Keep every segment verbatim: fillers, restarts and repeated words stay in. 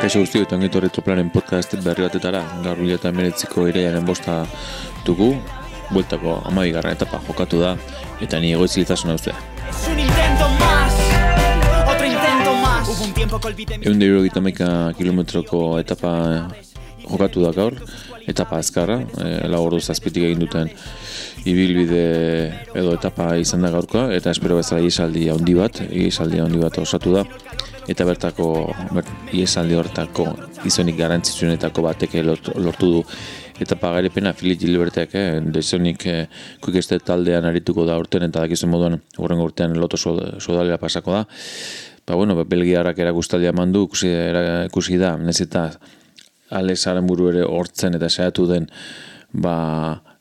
Kaixo guzti, eta ongi etorri Troplaren podcast berri batetara. Gaur mila eta hemeretziko irailaren bosta dugu, bueltako hamabigarren etapa jokatu da, eta ni egoitzilitasuna uztea. Ehun eta hirurogeita hamaika kilometroko etapa jokatu da gaur, etapa azkarra, e, lau ordu zazpitik egin duten ibilbide edo etapa izan da gaurkoa, eta espero bezala iesaldi handi bat, iesaldi handi bat osatu da. Eta bertako, bert, iesaldi horretako izonik garrantzitsuenetako batek lortu du etapa garepena Filip Gilbertek, eh, dezonik eh, kuikeste taldean arituko da urten, eta dakizuen moduan hurrengo urtean loto sodalera pasako da. Ba, bueno, belgiarrak erakustaldia eman du, ikusi, ikusi da, nez eta Alex Aranburu ere hortzen eta saiatu den, ba,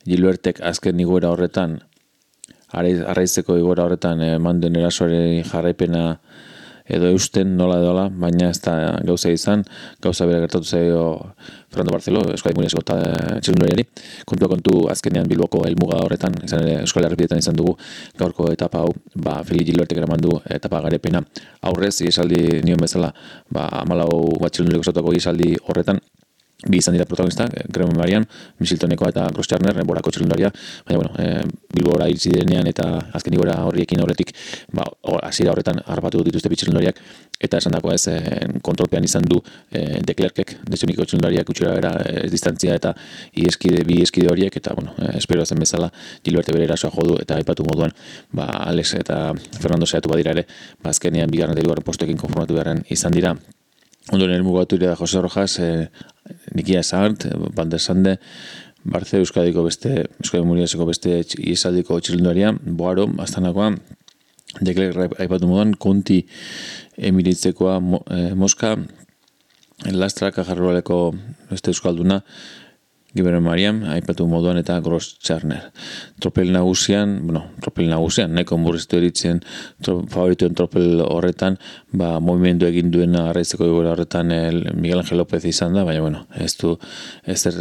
Gilbertek azken igoera horretan, arraizeko igoera horretan eman den erasoaren jarraipena edo eusten nola edola, baina ez da gauza izan, gauza bera gertatu zaio Fernando Barceló, Euskadi Munieseko txirrindulariari. Kontua kontu azkenean Bilboko helmuga horretan, izan ere Euskal Herripidetan izan dugu gaurko etapa hau, ba, Filip Gilbertek eraman du etapa garepena. Aurrez, iesaldi nion bezala, ba, hamalau bat txirrindularik osatuko iesaldi horretan, bi izan dira protagonista, Graham Marian, Misiltonekoa eta Gross-Tjarner, Borako txirrindularia, baina bueno, e, Bilbora iritsi direnean eta azken igora horriekin horretik, ba, hasiera horretan harrapatu dituzte bi txirrindulariak, eta esan dagoa ez, e, kontrolpean izan du e, De Klerkek, dezioniko txirrindulariak utxura bera e, distantzia eta ieskide, bi eskide horiek, eta bueno, e, espero zen bezala Gilberte bere erasoa jodu, eta aipatu moduan, ba, Alex eta Fernando saiatu badira ere, ba, azkenean bigarren eta hirugarren postuekin konformatu beharren izan dira. Ondoren elmugatu ere da Jose Rojas, eh, Nikia Sart, Van der Sande, Barce Euskadiko beste, Euskadi Munieseko beste iesaldiko txirrindularia, Boaro, Astanakoa, De Klerk aipatu moduan, Conti Emiritzekoa, Mo, eh, Moska, Lastra, Kajarroaleko beste euskalduna, Giberen Mariam, aipatu moduan eta Gross-Tjarner. Tropel nagusian, bueno, tropel nagusian, nahiko murriztu eritzen tro, favorituen tropel horretan, ba, movimendu egin duena arraizeko igora horretan el Miguel Ángel López izan da, baina, bueno, ez du, ez er,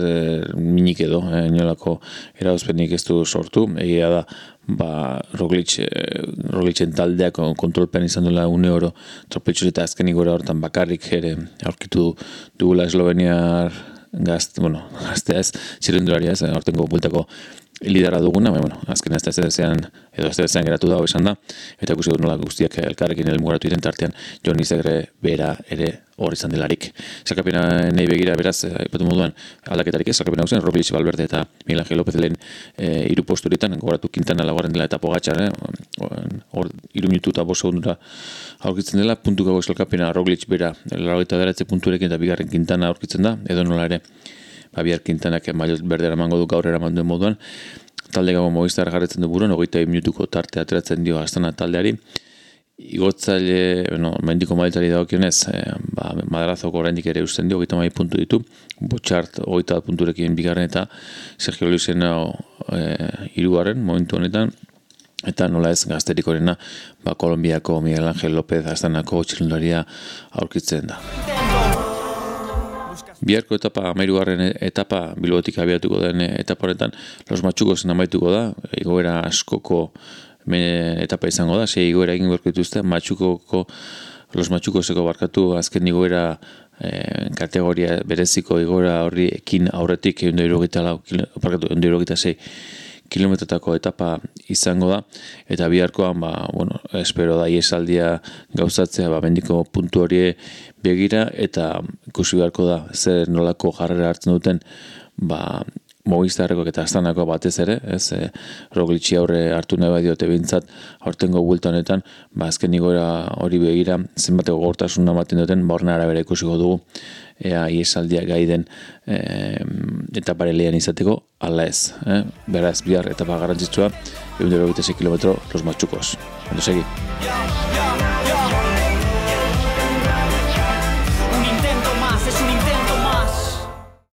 minik edo, eh, inolako erauzpenik ez du sortu, egia da, ba, Roglic, eh, Roglicen taldeak kontrolpen izan duela une oro tropeltxuri eta azken igora horretan bakarrik ere aurkitu dugula esloveniar Gazt, bueno, gaztea ez, txirrindularia ez, aurtengo bultako lidera duguna, baina, bueno, azken ez da ez dezean, edo ez dezean geratu da, esan da, eta ikusi dut nola guztiak elkarrekin elmugoratu iten tartean, Jon Izagre bera ere hor izan delarik. Zalkapena nahi begira, beraz, aipatu moduan, aldaketarik ez, zalkapena guzen, Roglic, Valverde eta Miguel Ángel López lehen e, iru posturitan, gogoratu Quintana laugarren dela eta Pogačar, hor eh? iru minutu eta bost segundura aurkitzen dela, puntuko zalkapena Roglic bera, laurogeita bederatzi punturekin eta bigarren Quintana aurkitzen da, edo nola ere, ba, bihar Quintanak maillot berdera emango du gaur eraman duen moduan, talde gago Movistar jarretzen du buruan, hogeita minutuko tarte ateratzen dio Astana taldeari, igotzaile, bueno, mendiko mailtari dagokionez, eh, ba, Madrazoko oraindik ere usten dio, hogeita mai puntu ditu, Botxart hogeita bat punturekin bigarren eta Sergio Luisena eh, hirugarren momentu honetan, eta nola ez gazterikorena, ba, Kolonbiako Miguel Ángel López Astanako txirrindularia aurkitzen da. Biharko etapa, hamahirugarren etapa, Bilbotik abiatuko den etapa horretan, Los Matxukosen amaituko da, igoera askoko etapa izango da, sei igoera egin gorko dituzte, Matxukoko, Los Matxukoseko barkatu azken igoera eh, kategoria bereziko igoera horri ekin aurretik ehun eta hirurogeita sei kilometrotako etapa izango da, eta biharkoan, ba, bueno, espero da iesaldia gauzatzea, ba, mendiko puntu hori begira, eta ikusi beharko da, zer nolako jarrera hartzen duten, ba, Movistarreko eta Astanako batez ere, ez, e, Roglic'i aurre hartu nahi badiote bintzat, aurtengo bulta honetan, ba, azken igora hori begira, zenbateko gortasuna ematen duten, ba, horren arabera ikusiko dugu, ea iesaldia gai den e, etapare lehan izateko, ala ez. Eh? Beraz, bihar etapa garrantzitsua, ehun eta hirurogeita sei kilometro, Los Matxukos. Ondo segi.